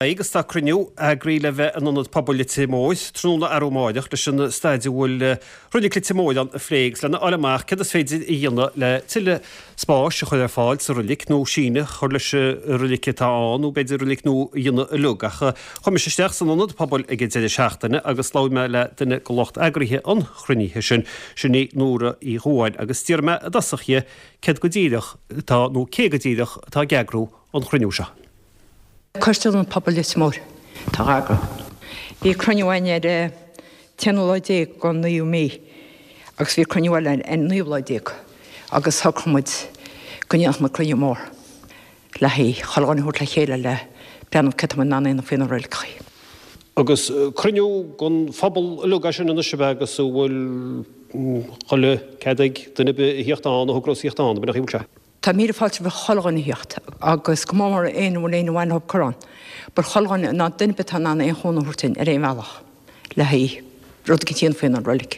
Agus tá cruinniú eagraithe le bheith in Ionad Pobail Leitir Móir tráthnóna arú amáireach leis an staid a bhfuil Reilig Leitir Móir ann a phlé agus lena fháil amach céard is féidir a dhéanamh le tuilleadh spáis a chur ar fáil sa reilig nó síneadh a chur leis an reilig atá ann nó b'fhéidir reilig nua a dhéanamh uilig. Ach chuaigh mise isteach san Ionad Pobail ag an deireadh seachtaine agus labhair mé le duine de lucht eagraithe an chruinnithe sin, sin í Nóra Uí Dhubháin, agus d'iarr mé i dtosach dhi céard go díreach atá nó cé go díreach atá ag eagrú an chruinniú seo. Coiste Ionad Pobail Leitir Móir atá á eagrú. Bhí cruinniú againn ar an t-aonú lá déag den naoú mí agus bhí cruinniú eile ar an naoú lá déag agus shocraigh muid go ndéanfadh muid cruinniú mór le haghaidh chuile dhuine a thabhairt le chéile le breathnú céard tá muid in ann a dhéanamh faoi na reiligeachaí. Agus cruinniú don phobal uilig é sin anois ab ea agus an bhfuil chuile cead ag duine ar bith a thíocht ann a thogras a thíocht ann, ab in é an chaoi a bhfuil sé? Tá míle fáilte roimh chuile dhuine a thíocht agus go mór mór éinne a bhfuil aon mhaith leo cur ann. But chuile dhuine, ná duine ar bith atá in ann aon chúnamh a thabhairt dúinn ar aon bhealach le haghaidh rud eicínt a dhéanamh faoin reilig.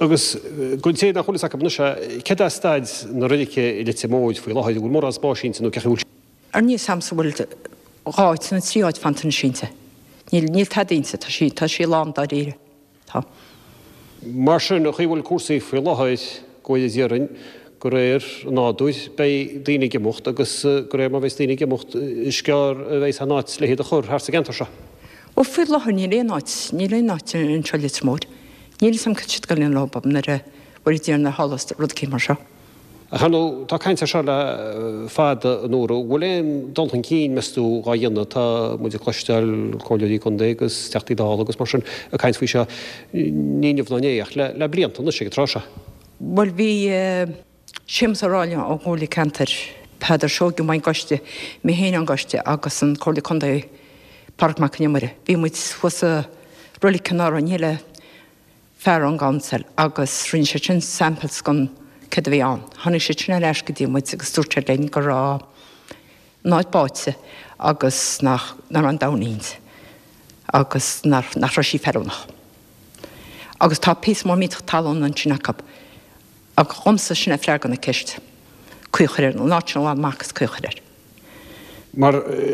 Agus don té nach bhfuil fhios acu anois é, céard é staid na reilice i Leitir Móir faoi láthair, an bhfuil mórán spáis inti nó cén chaoi a bhfuil sé? Ar níl 's a'msa an bhfuil dhá áit nó trí áit fanta anois inti. Níl, níl tada inti, tá sí, tá sí lán dáiríre. Tá. Mar sin, an chaoi a bhfuil cúrsaí faoi láthair, go bhfóire Dia orainn, de réir an nádúir, beidh daoine ag imeacht agus de réir mar a bheas daoine ag imeacht, is gearr a bheas aon áit le hiad a chur thart sa gceantar seo. Bhuel, faoi láthair níl aon áit, níl aon áit anseo i Leitir Móir. Níl 'fhios a'm cad tá siad ag goil a dhéanamh leo nuair a bhfuil Dia ina thála rud eicínt mar seo. Ach ar ndóigh, tá caint air seo le fada, a Nóra. An bhfuil aon dul chun cinn, meas tú, dhá dhéanamh? Tá muid ag cloisteáil comhairleoirí contae agus Teachtaí Dála agus mar sin ag caint faoi seo, ní inniu ná inné, ach le blianta anois ag an tráth seo. Bhuel, bhí Séamus Ó Ráinne ón gComhairle Ceantair, Peadar Seoige ón gcoiste, mé féin ón gcoiste agus an Comhairleoir Contae Pádraig Mac Con Iomaire. Bhí muid thuas sa reilig anuraidh, ní le fear ón gcouncil agus rinne siad sin samples den céard a bhí ann. Tháinig siad sin ar ais go dtí muid agus dúirt siad linn go raibh an áit báite agus nach nach raibh aon damhna inti agus nach nach raibh sí feiliúnach. Agus tá píosa mór millteach talún ansin acu. Ach dhomsa sin é freagra na ceiste. Caoi a chur air, an áit sin a ghlanadh amach agus caoi a chur air. Mar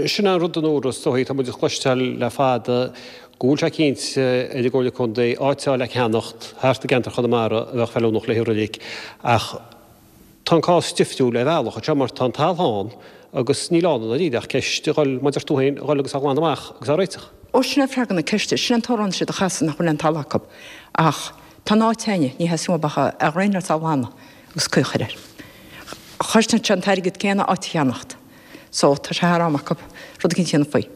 sin é an rud a Nóra, is dóigh, tá muid ag cloisteáil le fada go bhfuil sé cinnte ar an gComhairle Contae áit a fháil le ceannacht thart i gceantar Chonamara a bheadh feiliúnach le haghaidh reilig ach tá an cás difriúil ar bhealach anseo mar tá an talamh ann agus níl ann i ndáiríre ach ceist a dhul, mar a deir tú féin, a dhul agus á ghlanadh amach agus á réiteach. Ó sin é freagra na ceiste, sin an t-amhrán siad a chasadh nach bhfuil aon talamh acu ach tá an áit a'inne, ní theastaíonn uathub ach a dhraenáil is á ghlanadh agus caoi a chur air. Chosnaíonn sé an t-airgead céanna áit a cheannacht. So, tá sé thar am acu rud eicínt a dhéanamh faoi.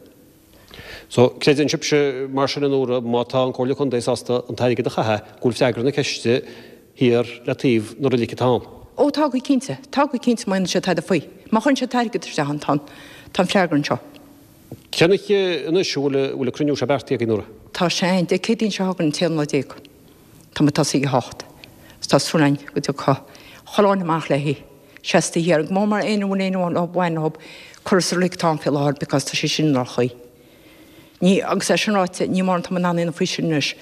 So, creideann sibhse mar sin a Nóra, má tá an Comhairle Contae sásta an t-airgead a chaitheamh, go bhfuil freagra na ceiste thiar le taobh na roilige atá ann? Ó, tá go cinnte. Tá go cinnte má dhéanann siad tada faoi. Má chuireann siad t-airgead isteach ann, tá an, tá an freagra anseo. Cén oíche anois a bhfuil, a bhfuil an cruinniú seo beartaithe agaibh, Nóra? Tá sé ann Dé Céadaoin seo chugainn, an t-aon lá déag. Tá muid tosaithe ag a hocht agus tá súil againn go dtiocfaidh chuile dhuine amach léi seasta thiar, go mór mór éinne a bhfuil aon bhaint leo cur sa reilig atá ann faoi láthair because tá sé sin i ndroch-chaoi. Ní, agus é sin ráite, ní mórán atá muid in ann a dhéanamh faoi sin anois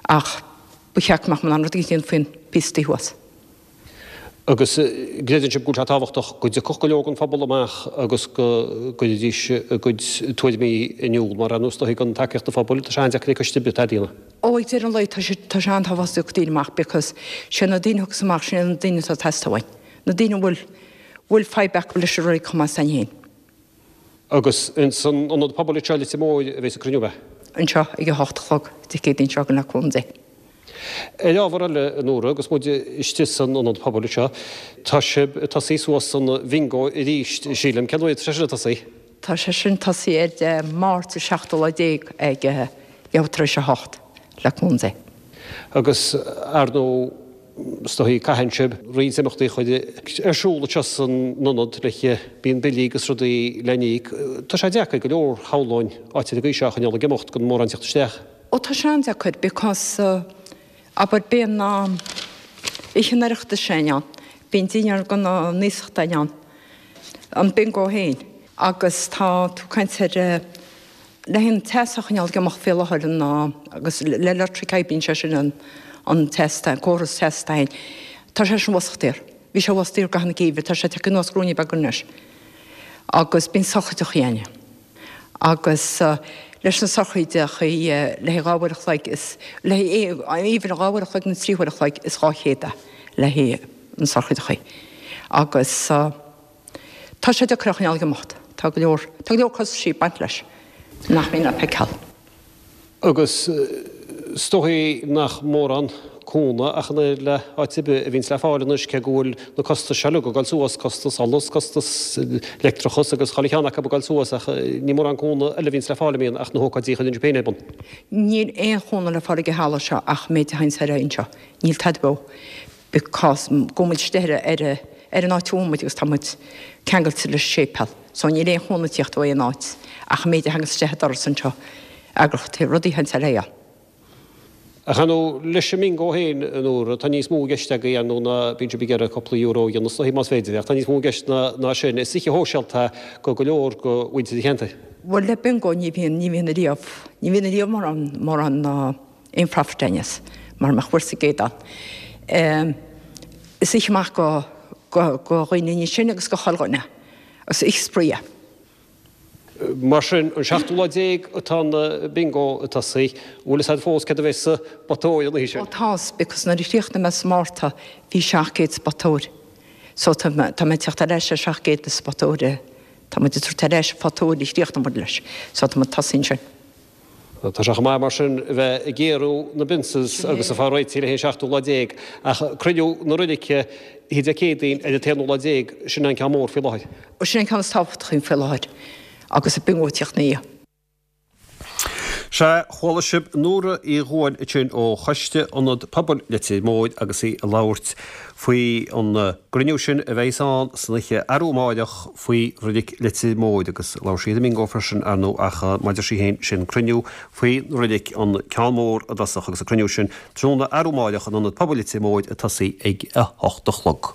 ach ba cheart go mbeadh muid in ann rud éigin a dhéanamh faoin bpíosa thuas. Agus gcreideann sibh go bhfuil sé tábhachtach go dtiocfadh go leor den phobal amach agus go gcuirfidís a gcuid tuairimí in iúl, mar ar ndóigh is dóichí gan tacaíocht an phobail, tá sé an-deacair ag coiste ar bith tada a dhéanamh. Ó, ag deireadh an lae, tá sé, tá sé an-tábhachtach go dtiocfadh daoine amach because sé na daoine a thiocfas amach, sin iad na daoine atá ag teastáil uainn. Na daoine a bhfuil, bhfuil fadhb acu leis an reilig chomh maith is againn féin. Agus ins an Ionad Pobail anseo i Leitir Móir a bheas an cruinniú, ab ea? Anseo ag a hocht a chlog Dé Céadaoin seo chugainn le cúnamh Dé. Ar ábhar eile, a Nóra, agus muid istigh san Ionad Pobail anseo, tá sibh ag tosaí suas an bhingo arís, sílim. Cén uair atá sé sin ag tosaí? Tá sé sin tosaí ar Dé Máirt an seachtú lá déag ag leathuair tar éis a hocht, le cúnamh Dé. Agus, ar ndóigh, Is dóigh, caitheann sibh roinnt imeachtaí a chur ar siúl anseo san ionad le bíonn billí agus rudaí le n-íoc. Tá sé deacair go leor, shamhlóinn, áit ar an gcaoi seo a choinneáil ag imeacht gan mórán teacht isteach. Ó tá sé an-deacair because abair bíonn oíche an Oireachtais sin ann, bíonn dinnéar do na n-iasachtaí ann, an bingo féin agus tá tú ag caint ar le an teas a choinneáil ag imeacht faoi láthair an agus le leictric oibríonn sé sin an an teas an córas teas féin. Tá sé sin bhosach daor. Bhí sé bhosach daor i gcaitheamh an gheimhridh, tá sé tagtha anuas ruainne beag anois. Agus bíonn sochraidí againne. Agus leis na sochraidí le haghaidh 2 uair a chloig is, le haghaidh even 2 uair a chloig nó 3 huair a chloig is 200 é le haghaidh na sochraidí. Agus tá sé deacair a choinneáil ag imeacht. Tá go leor, tá go leor costaisí ag baint leis nach mbíonn le feiceáil. Agus is dóichí nach mórán cúnamh ach an oiread le áit ar bith a bhíonns le fáil anois, cé go bhfuil na costais seo uilig ag dul suas, costas solais, costas leictreachas agus chuile cheann acu ag dul suas ach ní mórán cúnamh eile a bhíonns le fáil an mbíonn ach na hócáidí a chuireann sibh féin ar bun. Níl aon chúnamh le fáil ag an halla seo ach an méid a thaganns ar aghaidh anseo. Níl tada beo because go bhfuil muid istigh ar ar ar an áit a bhfuil muid agus tá muid ceangailte leis an séipéal so níl aon chúnamh ag tíocht ó aon áit ach an méid a thaganns isteach an doras anseo eagraíochtaí rudaí a thaganns ar aghaidh ann. Ach ar ndóigh, leis an mbingo féin, a Nóra, tá níos mó i gceist agaibh ar ndóigh ná bíonn sibh ag iarraidh cúpla euro a dhéanamh is dóichí más féidir, ach tá níos mó i gceist ná sin. Is oíche shóisialta é go go leor go mhuintir an cheantair. Bhuel le bingo ní bhíonn, ní bhíonn ariamh, ní bhíonn ariamh mórán, mórán ná aon profit againn as, mara mbeadh bhfuil sa gcéad ann. Is oíche mhaith go, go, go dhaoine níos sine agus go chuile dhuine. Is oíche spraoi é. Mar sin, an seachtú lá déag atá an bingo ag tosaí. Bhfuil fhios a'd fós céard a bheidh sa bpota óir an oíche sin? Ó tá, because nuair a chríochnaigh mé sa Márta bhí 700 sa bpota óir. So tá mé ag teacht ar ais ar 700 sa bpota óir. Tá muid ag tabhairt ar ais an pota óir a chríochnaigh muid leis. So tá muid ag tosaí ansin. Tá sé chomh maith mar sin a bheith ag géarú na bpionsals agus ag fáil réitithe le haghaidh an seachtú lá déag, ach cruinniú na roilice oíche Dé Céadaoin ar an t-aonú lá déag, sin an ceann mór faoi láthair. Sin an ceann is tábhachtaí faoi láthair agus an bingo ag tíocht ina dhiaidh. Sea, chuala sibh Nóra Uí Dhubháin ansin ó Choiste Ionad Pobail Leitir Móir agus í ag labhairt faoi an gcruinniú sin a bheidh ann san oíche arú amáireach faoi Reilig Leitir Móir agus labhair sí ar an mbingo freisin ar ndóigh ach mar a deir sí féin sin cruinniú faoi reilig an ceann mór i dtosach agus an cruinniú sin tráthnóna arú amáireach in Ionad Pobail Leitir Móir ag tosaí ag a hocht a chlog.